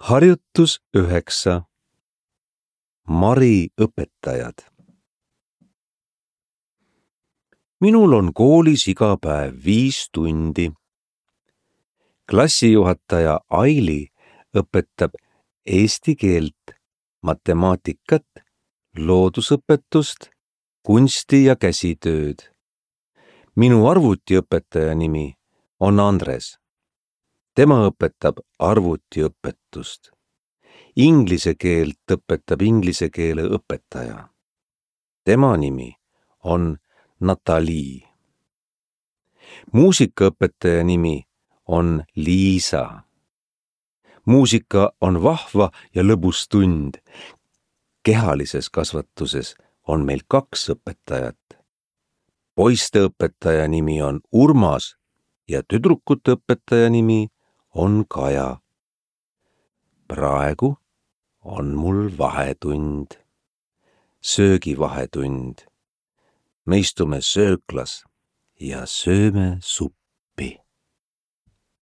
Harjutus 9. Mari õpetajad. Minul on koolis iga päev 5 tundi. Klassijuhataja Aili õpetab eesti keelt, matemaatikat, loodusõpetust, kunsti ja käsitööd. Minu arvutiõpetaja nimi on Andres. Tema õpetab arvutiõpetust. Inglise keelt õpetab inglise keele õpetaja. Tema nimi on Natali. Muusikaõpetaja nimi on Liisa. Muusika on vahva ja lõbus tund. Kehalises kasvatuses on meil 2 õpetajat. Poiste õpetaja nimi on Urmas ja tüdrukute õpetaja nimi on Kaja. Praegu on mul vahetund, söögivahetund. Me istume sööklas ja sööme suppi.